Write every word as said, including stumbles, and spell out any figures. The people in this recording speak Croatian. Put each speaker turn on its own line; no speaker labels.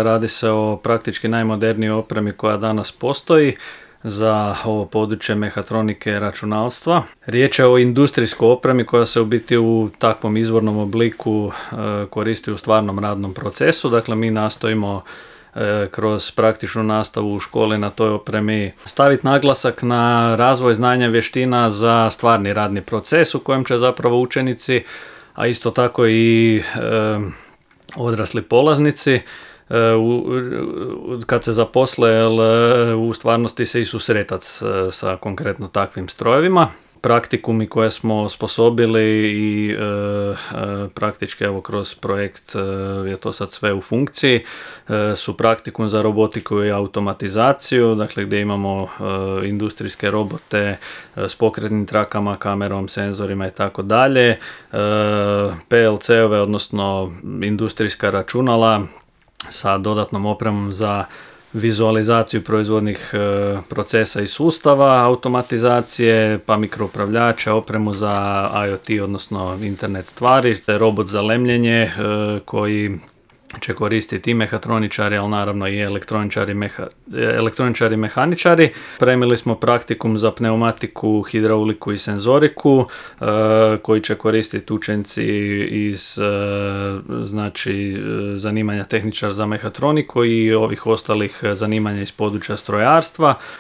Radi se o praktički najmodernijoj opremi koja danas postoji za ovo područje mehatronike i računalstva. Riječ je o industrijskoj opremi koja se u biti u takvom izvornom obliku e, koristi u stvarnom radnom procesu. Dakle, mi nastojimo e, kroz praktičnu nastavu u školi na toj opremi staviti naglasak na razvoj znanja i vještina za stvarni radni proces u kojem će zapravo učenici, a isto tako i e, odrasli polaznici, kad se zaposle, u stvarnosti se i susretati sa konkretno takvim strojevima. Praktikumi koje smo osposobili i e, e, praktički evo kroz projekt e, je to sad sve u funkciji, e, su praktikum za robotiku i automatizaciju, dakle gdje imamo e, industrijske robote e, s pokretnim trakama, kamerom, senzorima i tako dalje, P L C-ove, odnosno industrijska računala sa dodatnom opremom za vizualizaciju proizvodnih e, procesa i sustava, automatizacije, pa mikroupravljača, opremu za IoT, odnosno internet stvari, te robot za lemljenje e, koji će koristiti i mehatroničari, ali naravno i elektroničari, meha, elektroničari mehaničari. Premili smo praktikum za pneumatiku, hidrauliku i senzoriku e, koji će koristiti učenci iz e, znači zanimanja tehničar za mehatroniku i ovih ostalih zanimanja iz područja strojarstva.